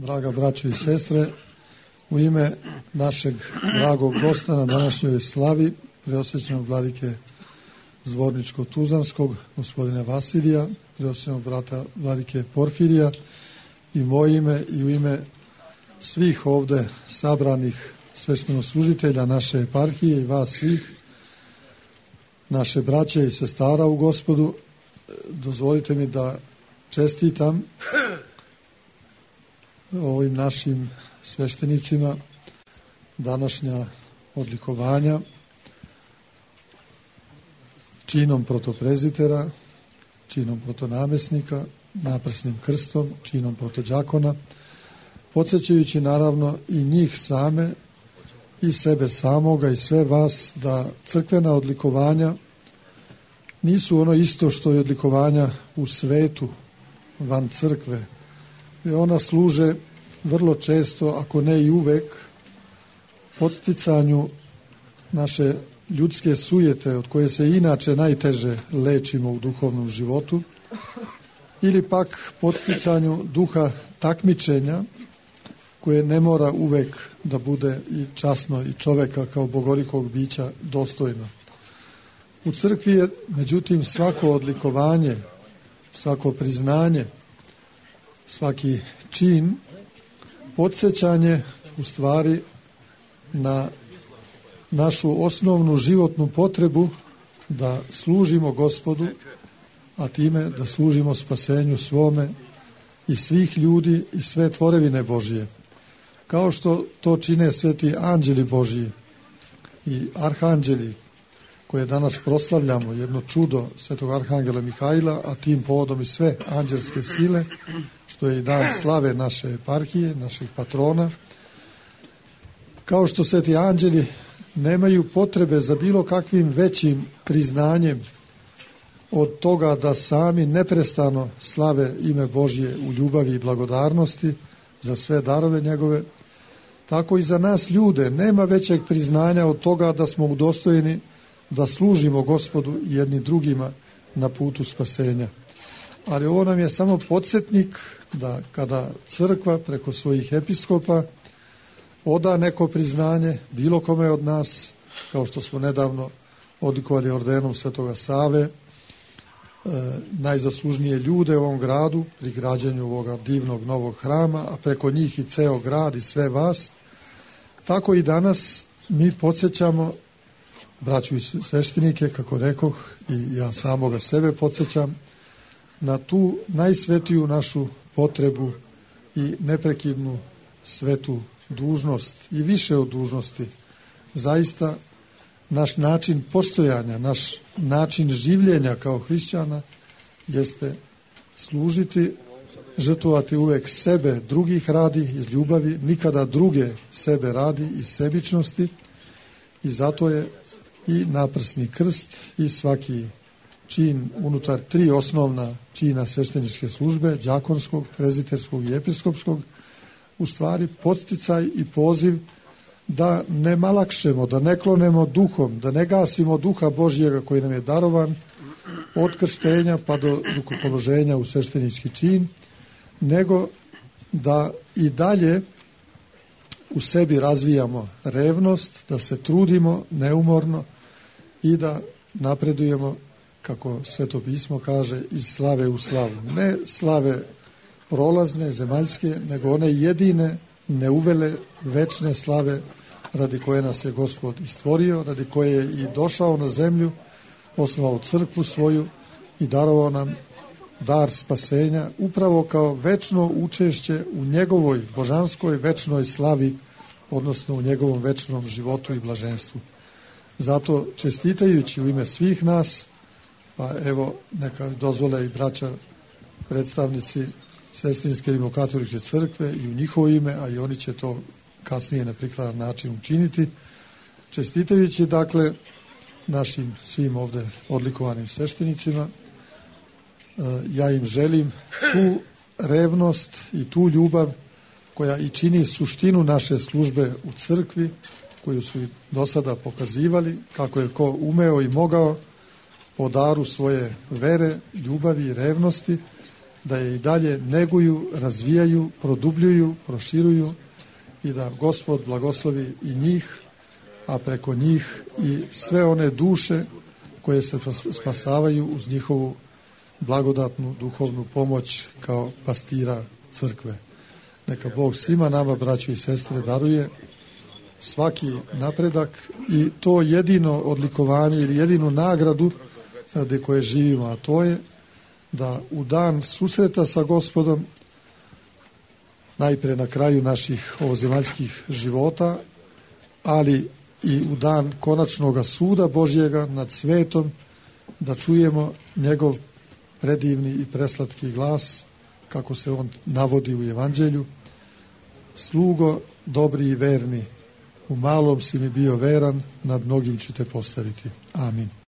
Draga braćo i sestre, u ime našeg dragog gosta na današnjoj slavi, preosvećenog vladike Zvorničko-Tuzlanskog, gospodina Vasilija, preosvećenog brata vladike Porfirija, i moje ime i u ime svih ovde sabranih sveštenoslужitelja naše eparhije i vas svih, naše braće i sestara u Gospodu, dozvolite mi da čestitam ovim našim sveštenicima današnja odlikovanja činom protoprezitera, činom protonamesnika, naprsnim krstom, činom protodžakona, podsjećajući naravno i njih same i sebe samoga i sve vas da crkvena odlikovanja nisu ono isto što je odlikovanja u svetu, van crkve. I ona služe vrlo često, ako ne i uvek, podsticanju naše ljudske sujete od koje se inače najteže lečimo u duhovnom životu, ili pak podsticanju duha takmičenja koje ne mora uvek da bude i časno i čoveka kao bogolikog bića dostojno. U crkvi je, međutim, svako odlikovanje, svako priznanje, svaki čin, podsjećanje u stvari na našu osnovnu životnu potrebu da služimo Gospodu, a time da služimo spasenju svome i svih ljudi i sve tvorevine Božije. Kao što to čine sveti anđeli Božiji i arhanđeli, koje danas proslavljamo, jedno čudo svetog arhangela Mihajla, a tim povodom i sve anđelske sile, što je i dan slave naše eparhije, naših patrona. Kao što sveti anđeli nemaju potrebe za bilo kakvim većim priznanjem od toga da sami neprestano slave ime Božje u ljubavi i blagodarnosti za sve darove njegove, tako i za nas ljude nema većeg priznanja od toga da smo udostojeni da služimo Gospodu i jedni drugima na putu spasenja. Ali ovo nam je samo podsjetnik da kada crkva preko svojih episkopa oda neko priznanje bilo kome od nas, kao što smo nedavno odlikovali ordenom Svetoga Save, najzaslužnije ljude u ovom gradu pri građenju ovoga divnog novog hrama, a preko njih i ceo grad i sve vas, tako i danas mi podsjećamo braću i sveštenike, kako rekoh, i ja samoga sebe podsjećam na tu najsvetiju našu potrebu i neprekidnu svetu dužnost i više od dužnosti. Zaista naš način postojanja, naš način življenja kao hrišćana jeste služiti, žrtvovati uvek sebe, drugih radi iz ljubavi, nikada druge sebe radi iz sebičnosti, i zato je i naprsni krst i svaki čin unutar 3 osnovna čina svešteničke službe, đakonskog, preziterskog i episkopskog, u stvari podsticaj i poziv da ne malakšemo, da ne klonemo duhom, da ne gasimo duha Božjega koji nam je darovan od krštenja pa do rukopoloženja u sveštenički čin, nego da i dalje u sebi razvijamo revnost, da se trudimo neumorno i da napredujemo, kako Sveto pismo kaže, iz slave u slavu. Ne slave prolazne, zemaljske, nego one jedine, neuvele, večne slave radi koje nas je Gospod i stvorio, radi koje je i došao na zemlju, osnovao crkvu svoju i darovao nam dar spasenja, upravo kao večno učešće u njegovoj božanskoj večnoj slavi, odnosno u njegovom večnom životu i blaženstvu. Zato, čestitajući u ime svih nas, pa evo, neka dozvole i braća predstavnici Sestrinske rimokatoličke crkve i u njihovo ime, a i oni će to kasnije na prikladan način učiniti, čestitajući, dakle, našim svim ovde odlikovanim sveštenicima, ja im želim tu revnost i tu ljubav koja i čini suštinu naše službe u crkvi, koju su i do sada pokazivali, kako je ko umeo i mogao po daru svoje vere, ljubavi i revnosti, da je i dalje neguju, razvijaju, produbljuju, proširuju i da Gospod blagoslovi i njih, a preko njih i sve one duše koje se spasavaju uz njihovu blagodatnu duhovnu pomoć kao pastira crkve. Neka Bog svima nama, braćo i sestre, daruje svaki napredak i to jedino odlikovanje ili jedinu nagradu gde koje živimo, a to je da u dan susreta sa Gospodom, najpre na kraju naših ovozemaljskih života, ali i u dan konačnog suda Božjega nad svetom, da čujemo njegov predivni i preslatki glas, kako se on navodi u Evanđelju: slugo dobri i verni, u malom si mi bio veran, nad mnogim ću te postaviti. Amin.